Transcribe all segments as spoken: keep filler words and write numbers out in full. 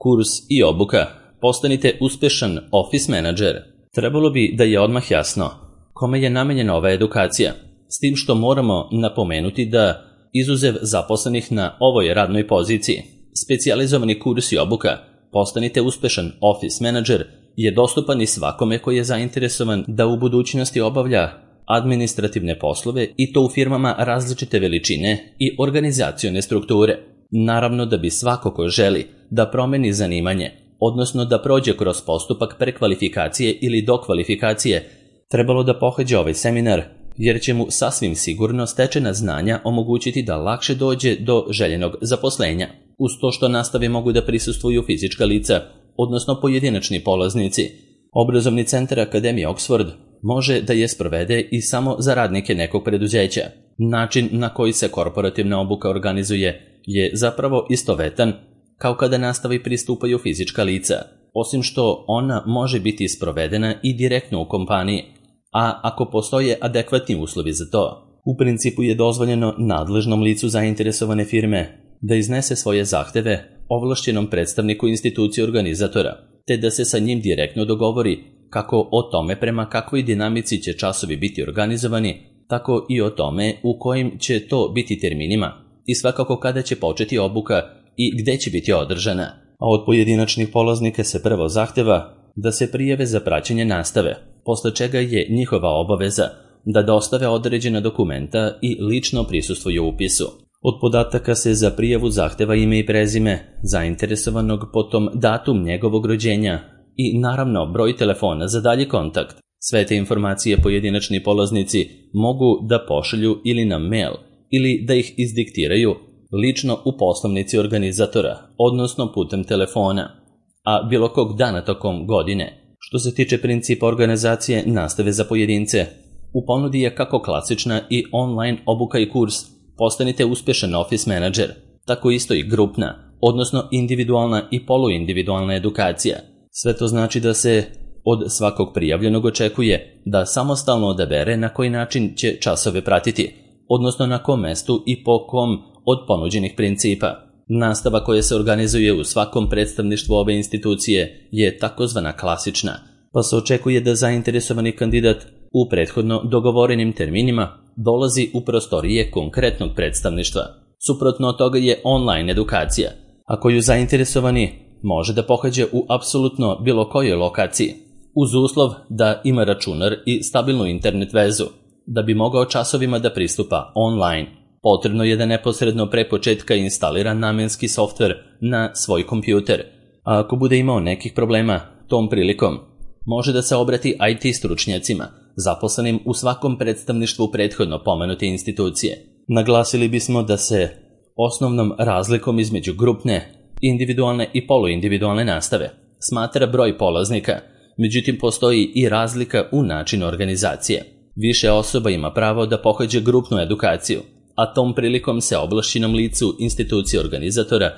Kurs i obuka Postanite uspešan office menadžer. Trebalo bi da je odmah jasno kome je namenjena ova edukacija, s tim što moramo napomenuti da, izuzev zaposlenih na ovoj radnoj poziciji, specijalizovani kurs i obuka Postanite uspešan office menadžer je dostupan i svakome koji je zainteresovan da u budućnosti obavlja administrativne poslove i to u firmama različite veličine i organizacione strukture. Naravno da bi svako ko želi da promeni zanimanje, odnosno da prođe kroz postupak prekvalifikacije ili dokvalifikacije, trebalo da pohađe ovaj seminar, jer će mu sasvim sigurno stečena znanja omogućiti da lakše dođe do željenog zaposlenja, uz to što nastave mogu da prisustvuju fizička lica, odnosno pojedinačni polaznici. Obrazovni centar Akademije Oxford može da je sprovede i samo za radnike nekog preduzeća. Način na koji se korporativna obuka organizuje je zapravo istovetan kao kada nastavi pristupaju fizička lica, osim što ona može biti sprovedena i direktno u kompaniji, a ako postoje adekvatni uslovi za to, u principu je dozvoljeno nadležnom licu zainteresovane firme da iznese svoje zahteve ovlašćenom predstavniku institucije organizatora, te da se sa njim direktno dogovori kako o tome prema kakvoj dinamici će časovi biti organizovani, tako i o tome u kojim će to biti terminima i svakako kada će početi obuka i gde će biti održana. A od pojedinačnih polaznika se prvo zahteva da se prijave za praćenje nastave, posle čega je njihova obaveza da dostave određena dokumenta i lično prisustvuju upisu. Od podataka se za prijavu zahteva ime i prezime zainteresovanog, potom datum njegovog rođenja i naravno broj telefona za dalji kontakt. Sve te informacije pojedinačni polaznici mogu da pošalju ili na mail ili da ih izdiktiraju lično u poslovnici organizatora, odnosno putem telefona, a bilo kog dana tokom godine. Što se tiče principa organizacije nastave za pojedince, u ponudi je kako klasična i online obuka i kurs Postanite uspešan office menadžer, tako isto i grupna, odnosno individualna i poluindividualna edukacija. Sve to znači da se od svakog prijavljenog očekuje da samostalno odabere na koji način će časove pratiti, odnosno na kom mestu i po kom od ponuđenih principa. Nastava koja se organizuje u svakom predstavništvu ove institucije je takozvana klasična, pa se očekuje da zainteresovani kandidat u prethodno dogovorenim terminima dolazi u prostorije konkretnog predstavništva. Suprotno od toga je online edukacija, a koju zainteresovani može da pohađa u apsolutno bilo kojoj lokaciji, uz uslov da ima računar i stabilnu internet vezu. Da bi mogao časovima da pristupa online, potrebno je da neposredno pre početka instalira namenski softver na svoj kompjuter, a ako bude imao nekih problema tom prilikom, može da se obrati I T stručnjacima, zaposlenim u svakom predstavništvu prethodno pomenute institucije. Naglasili bismo da se osnovnom razlikom između grupne, individualne i poluindividualne nastave smatra broj polaznika, međutim postoji i razlika u načinu organizacije. Više osoba ima pravo da pohađa grupnu edukaciju, a tom prilikom se ovlašćenom licu institucije organizatora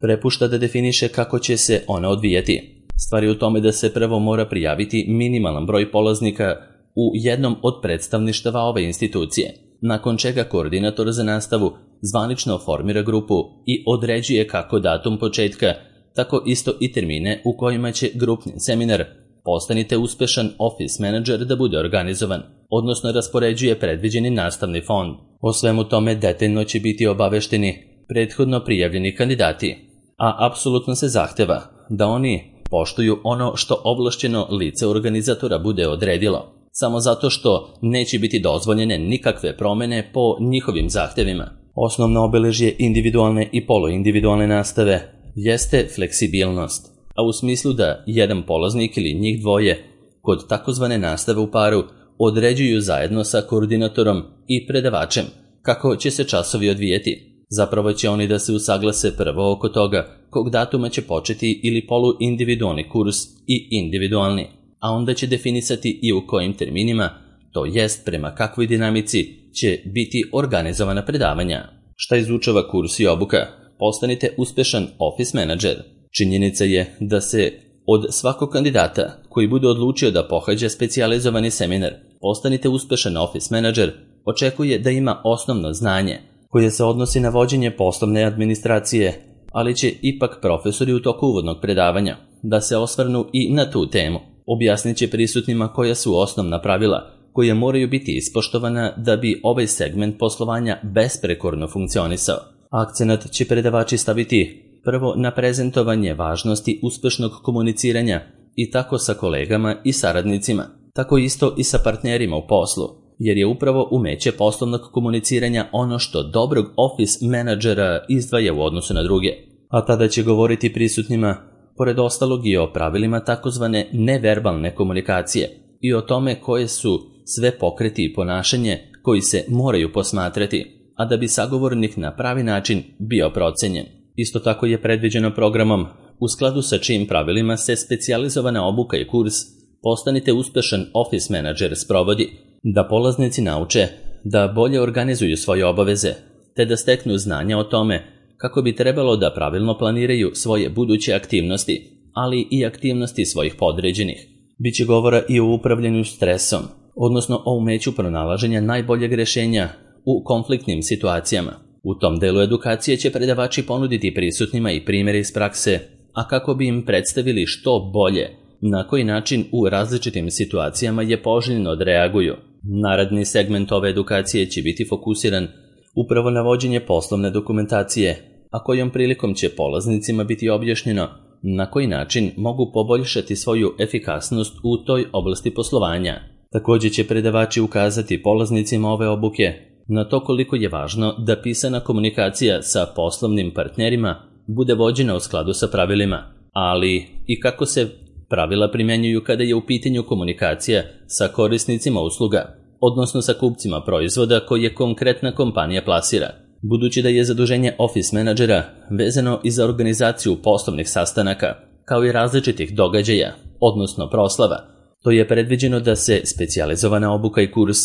prepušta da definiše kako će se ona odvijati. Stvar je u tome da se prvo mora prijaviti minimalan broj polaznika u jednom od predstavništava ove institucije, nakon čega koordinator za nastavu zvanično formira grupu i određuje kako datum početka, tako isto i termine u kojima će grupni seminar Postanite uspešan office menadžer da bude organizovan, odnosno raspoređuje predviđeni nastavni fond. O svemu tome detaljno će biti obavešteni prethodno prijavljeni kandidati, a apsolutno se zahteva da oni poštuju ono što ovlašćeno lice organizatora bude odredilo, samo zato što neće biti dozvoljene nikakve promene po njihovim zahtevima. Osnovno obeležje individualne i poluindividualne nastave jeste fleksibilnost, a u smislu da jedan polaznik ili njih dvoje kod takozvane nastave u paru određuju zajedno sa koordinatorom i predavačem kako će se časovi odvijeti. Zapravo će oni da se usaglase prvo oko toga kog datuma će početi ili poluindividualni kurs i individualni, a onda će definisati i u kojim terminima, to jest prema kakvoj dinamici će biti organizovana predavanja. Šta izučava kurs i obuka? Postanite uspešan office menadžer. Činjenica je da se od svakog kandidata koji bude odlučio da pohađa specijalizovani seminar Postanite uspešan office menadžer očekuje da ima osnovno znanje koje se odnosi na vođenje poslovne administracije ali će ipak profesori u toku uvodnog predavanja da se osvrnu i na tu temu. Objasnit će prisutnima koja su osnovna pravila koje moraju biti ispoštovana da bi ovaj segment poslovanja besprekorno funkcionisao. Akcenat će predavači staviti prvo na prezentovanje važnosti uspešnog komuniciranja i tako sa kolegama i saradnicima, tako isto i sa partnerima u poslu, jer je upravo umeće poslovnog komuniciranja ono što dobrog office menadžera izdvaja u odnosu na druge. A tada će govoriti prisutnima, pored ostalog, i o pravilima takozvane neverbalne komunikacije i o tome koje su sve pokreti i ponašanje koji se moraju posmatrati, a da bi sagovornik na pravi način bio procenjen. Isto tako je predviđeno programom, u skladu sa čijim pravilima se specijalizovana obuka i kurs Postanite uspešan office menadžer sprovodi, da polaznici nauče da bolje organizuju svoje obaveze, te da steknu znanja o tome kako bi trebalo da pravilno planiraju svoje buduće aktivnosti, ali i aktivnosti svojih podređenih. Biće govora i o upravljanju stresom, odnosno o umeću pronalaženja najboljeg rešenja u konfliktnim situacijama. U tom delu edukacije će predavači ponuditi prisutnima i primjere iz prakse, a kako bi im predstavili što bolje, na koji način u različitim situacijama je poželjno da reaguju. Naredni segment ove edukacije će biti fokusiran upravo na vođenje poslovne dokumentacije, a kojom prilikom će polaznicima biti objašnjeno na koji način mogu poboljšati svoju efikasnost u toj oblasti poslovanja. Također će predavači ukazati polaznicima ove obuke na to koliko je važno da pisana komunikacija sa poslovnim partnerima bude vođena u skladu sa pravilima, ali i kako se pravila primjenjuju kada je u pitanju komunikacija sa korisnicima usluga, odnosno sa kupcima proizvoda koje konkretna kompanija plasira. Budući da je zaduženje office menadžera vezano i za organizaciju poslovnih sastanaka, kao i različitih događaja, odnosno proslava, to je predviđeno da se specijalizovana obuka i kurs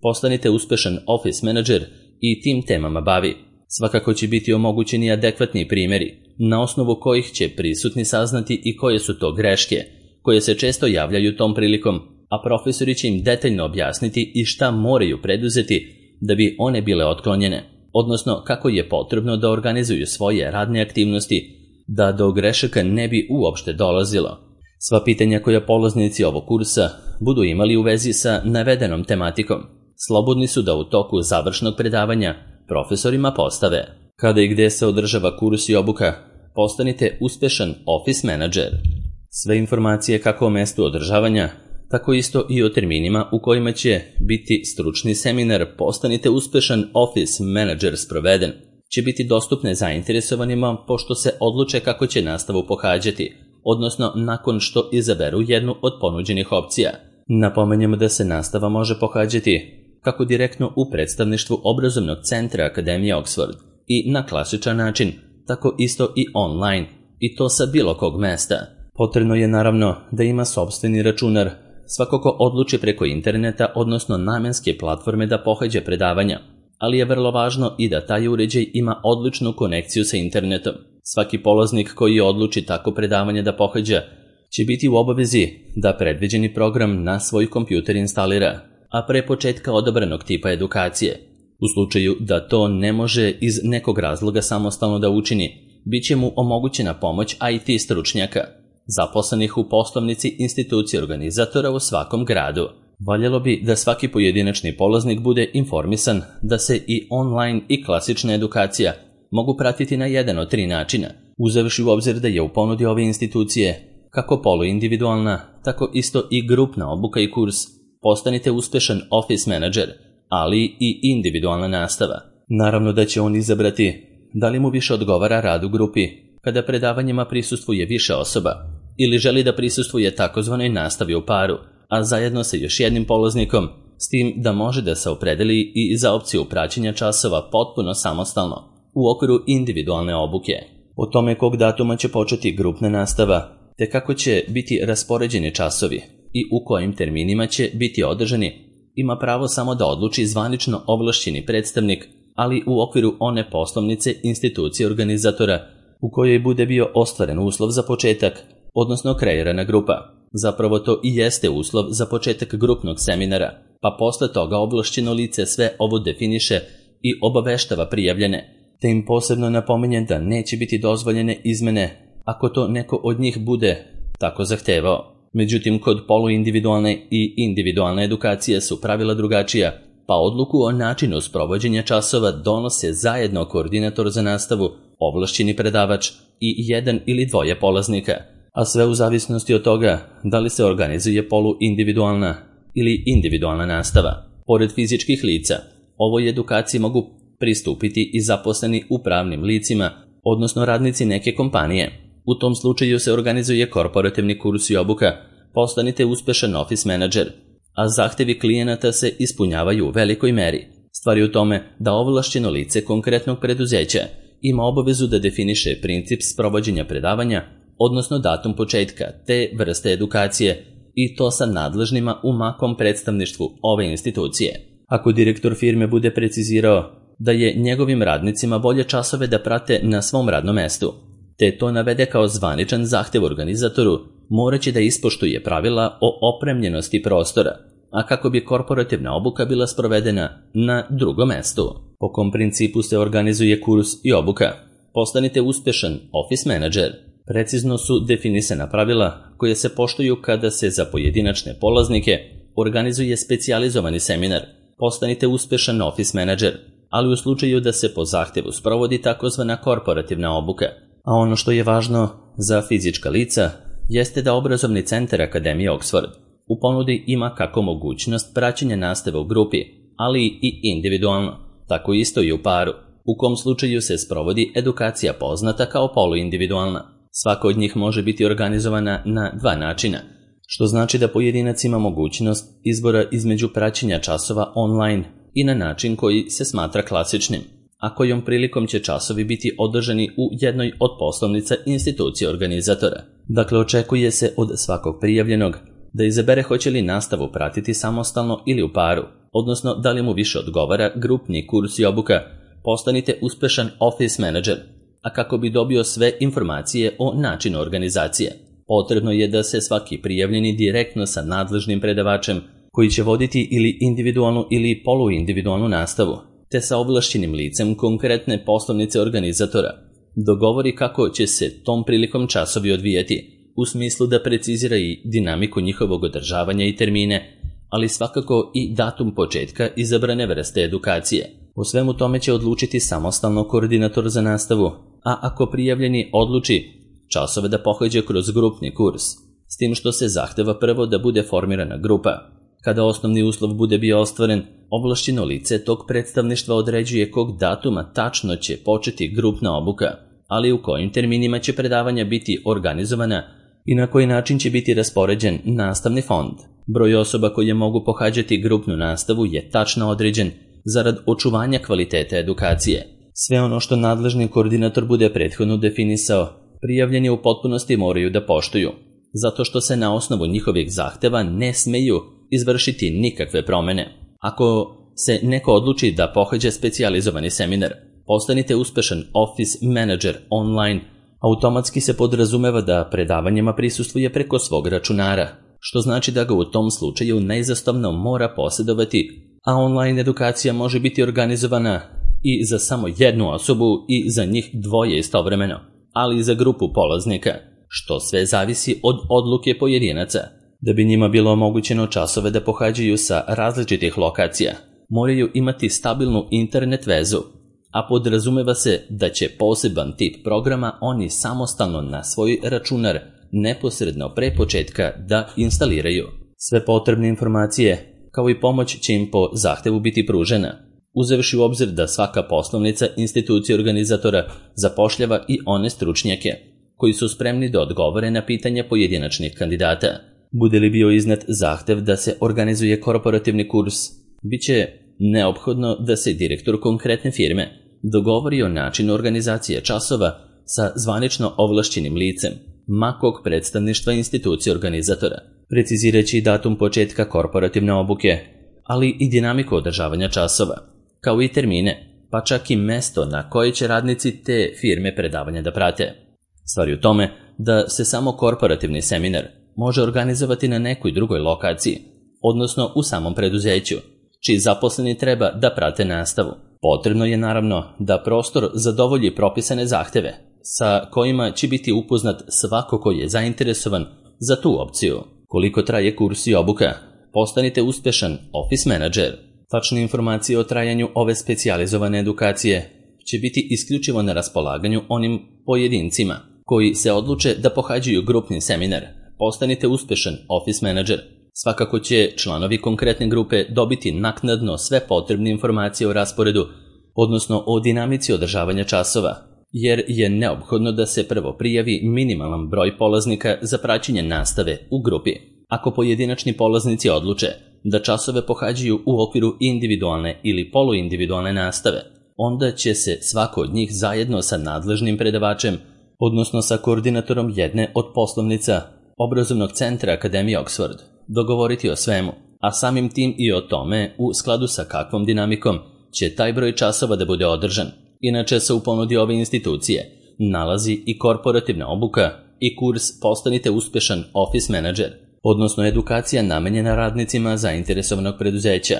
Postanite uspešan office menadžer i tim temama bavi. Svakako će biti omogućeni adekvatni primjeri, na osnovu kojih će prisutni saznati i koje su to greške, koje se često javljaju tom prilikom, a profesori će im detaljno objasniti i šta moraju preduzeti da bi one bile otklonjene, odnosno kako je potrebno da organizuju svoje radne aktivnosti, da do grešaka ne bi uopšte dolazilo. Sva pitanja koja polaznici ovog kursa budu imali u vezi sa navedenom tematikom, slobodni su da u toku završnog predavanja profesorima postave. Kada i gde se održava kurs i obuka, postanite uspešan office menadžer. Sve informacije kako o mestu održavanja, tako isto i o terminima u kojima će biti stručni seminar Postanite uspešan office menadžer sproveden, će biti dostupne zainteresovanima pošto se odluče kako će nastavu pohađati, odnosno nakon što izaberu jednu od ponuđenih opcija. Napomenjamo da se nastava može pohađati kako direktno u predstavništvu obrazovnog centra Akademije Oxford i na klasičan način, tako isto i online, i to sa bilo kog mesta. Potrebno je naravno da ima sopstveni računar, svako ko odluči preko interneta, odnosno namenske platforme da pohađa predavanja, ali je vrlo važno i da taj uređaj ima odličnu konekciju sa internetom. Svaki polaznik koji odluči tako predavanje da pohađa će biti u obavezi da predviđeni program na svoj kompjuter instalira, a pre početka odabranog tipa edukacije. U slučaju da to ne može iz nekog razloga samostalno da učini, bit će mu omogućena pomoć I T stručnjaka, zaposlenih u poslovnici institucije organizatora u svakom gradu. Valjalo bi da svaki pojedinačni polaznik bude informisan da se i online i klasična edukacija mogu pratiti na jedan od tri načina, uzevši u obzir da je u ponudi ove institucije kako poluindividualna, tako isto i grupna obuka i kurs Postanite uspešan office menadžer, ali i individualna nastava. Naravno da će on izabrati da li mu više odgovara rad u grupi, kada predavanjima prisustvuje više osoba, ili želi da prisustvuje takozvanoj nastavi u paru, a zajedno sa još jednim polaznikom, s tim da može da se opredeli i za opciju praćenja časova potpuno samostalno, u okviru individualne obuke. O tome kog datuma će početi grupna nastava, te kako će biti raspoređeni časovi i u kojim terminima će biti održani, ima pravo samo da odluči zvanično ovlašćeni predstavnik, ali u okviru one poslovnice institucije organizatora u kojoj bude bio ostvaren uslov za početak, odnosno kreirana grupa. Zapravo to i jeste uslov za početak grupnog seminara, pa posle toga ovlašćeno lice sve ovo definiše i obaveštava prijavljene, te im posebno napominjem da neće biti dozvoljene izmene ako to neko od njih bude tako zahtevao. Međutim, kod poluindividualne i individualne edukacije su pravila drugačija, pa odluku o načinu sprovođenja časova donose zajedno koordinator za nastavu, ovlašćeni predavač i jedan ili dvoje polaznika, a sve u zavisnosti od toga da li se organizuje poluindividualna ili individualna nastava. Pored fizičkih lica, ovoj edukaciji mogu pristupiti i zaposleni u pravnim licima, odnosno radnici neke kompanije. U tom slučaju se organizuje korporativni kurs i obuka, postanite uspešan office menadžer, a zahtevi klijenata se ispunjavaju u velikoj meri. Stvar je u tome da ovlašćeno lice konkretnog preduzeća ima obavezu da definiše princip sprovođenja predavanja, odnosno datum početka te vrste edukacije, i to sa nadležnima u makom predstavništvu ove institucije. Ako direktor firme bude precizirao da je njegovim radnicima bolje časove da prate na svom radnom mestu, te to navede kao zvaničan zahtev organizatoru, moraće da ispoštuje pravila o opremljenosti prostora, a kako bi korporativna obuka bila sprovedena na drugom mestu. Po kom principu se organizuje kurs i obuka? Postanite uspešan office menadžer. Precizno su definisana pravila koje se poštuju kada se za pojedinačne polaznike organizuje specijalizovani seminar. Postanite uspešan office menadžer, ali u slučaju da se po zahtevu sprovodi takozvana korporativna obuka. A ono što je važno za fizička lica jeste da obrazovni centar Akademije Oxford u ponudi ima kako mogućnost praćenja nastave u grupi, ali i individualno, tako isto i u paru, u kom slučaju se sprovodi edukacija poznata kao poluindividualna. Svaka od njih može biti organizovana na dva načina, što znači da pojedinac ima mogućnost izbora između praćenja časova online i na način koji se smatra klasičnim, a kojom prilikom će časovi biti održani u jednoj od poslovnica institucije organizatora. Dakle, očekuje se od svakog prijavljenog da izabere hoće li nastavu pratiti samostalno ili u paru, odnosno da li mu više odgovara grupni kurs i obuka. Postanite uspešan office menadžer, a kako bi dobio sve informacije o načinu organizacije, potrebno je da se svaki prijavljeni direktno sa nadležnim predavačem koji će voditi ili individualnu ili poluindividualnu nastavu, te sa ovlašćenim licem konkretne poslovnice organizatora dogovori kako će se tom prilikom časovi odvijati, u smislu da precizira i dinamiku njihovog održavanja i termine, ali svakako i datum početka izabrane vrste edukacije. O svemu tome će odlučiti samostalno koordinator za nastavu, a ako prijavljeni odluči časove da pohađa kroz grupni kurs, s tim što se zahteva prvo da bude formirana grupa. Kada osnovni uslov bude bio ostvaren, ovlašćeno lice tog predstavništva određuje kog datuma tačno će početi grupna obuka, ali u kojim terminima će predavanja biti organizovana i na koji način će biti raspoređen nastavni fond. Broj osoba koje mogu pohađati grupnu nastavu je tačno određen zarad očuvanja kvaliteta edukacije. Sve ono što nadležni koordinator bude prethodno definisao, prijavljeni u potpunosti moraju da poštuju, zato što se na osnovu njihovih zahteva ne smeju izvršiti nikakve promene. Ako se neko odluči da pohađa specijalizovani seminar, postanite uspešan office menadžer online, automatski se podrazumeva da predavanjima prisustvuje preko svog računara, što znači da ga u tom slučaju neizostavno mora posjedovati, a online edukacija može biti organizovana i za samo jednu osobu i za njih dvoje istovremeno, ali i za grupu polaznika, što sve zavisi od odluke pojedinaca. Da bi njima bilo omogućeno časove da pohađaju sa različitih lokacija, moraju imati stabilnu internet vezu, a podrazumeva se da će poseban tip programa oni samostalno na svoj računar neposredno pre početka da instaliraju. Sve potrebne informacije kao i pomoć će im po zahtevu biti pružena, uzevši u obzir da svaka poslovnica institucije organizatora zapošljava i one stručnjake koji su spremni da odgovore na pitanja pojedinačnih kandidata. Bude li bio iznet zahtev da se organizuje korporativni kurs, bit će neophodno da se direktor konkretne firme dogovori o načinu organizacije časova sa zvanično ovlašćenim licem makog predstavništva institucije organizatora, precizirajući datum početka korporativne obuke, ali i dinamiku održavanja časova, kao i termine, pa čak i mesto na koje će radnici te firme predavanja da prate. Stvar je u tome da se samo korporativni seminar može organizovati na nekoj drugoj lokaciji, odnosno u samom preduzeću, čiji zaposleni treba da prate nastavu. Potrebno je naravno da prostor zadovolji propisane zahteve, sa kojima će biti upoznat svako ko je zainteresovan za tu opciju. Koliko traje kurs i obuka? Postanite uspešan office menadžer. Tačne informacije o trajanju ove specijalizovane edukacije će biti isključivo na raspolaganju onim pojedincima koji se odluče da pohađaju grupni seminar. Postanite uspešan office menadžer. Svakako će članovi konkretne grupe dobiti naknadno sve potrebne informacije o rasporedu, odnosno o dinamici održavanja časova, jer je neophodno da se prvo prijavi minimalan broj polaznika za praćenje nastave u grupi. Ako pojedinačni polaznici odluče da časove pohađaju u okviru individualne ili poluindividualne nastave, onda će se svako od njih zajedno sa nadležnim predavačem, odnosno sa koordinatorom jedne od poslovnica obrazovnog centra Akademije Oxford, dogovoriti o svemu, a samim tim i o tome u skladu sa kakvom dinamikom će taj broj časova da bude održan. Inače se u ponudi ove institucije nalazi i korporativna obuka i kurs Postanite uspešan office menadžer, odnosno edukacija namenjena radnicima zainteresovanog preduzeća,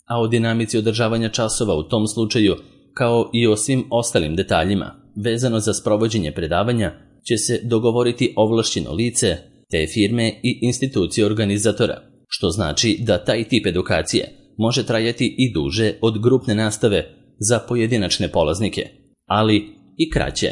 a o dinamici održavanja časova u tom slučaju, kao i o svim ostalim detaljima vezano za sprovođenje predavanja, će se dogovoriti ovlašćeno lice te firme i institucije organizatora, što znači da taj tip edukacije može trajati i duže od grupne nastave za pojedinačne polaznike, ali i kraće.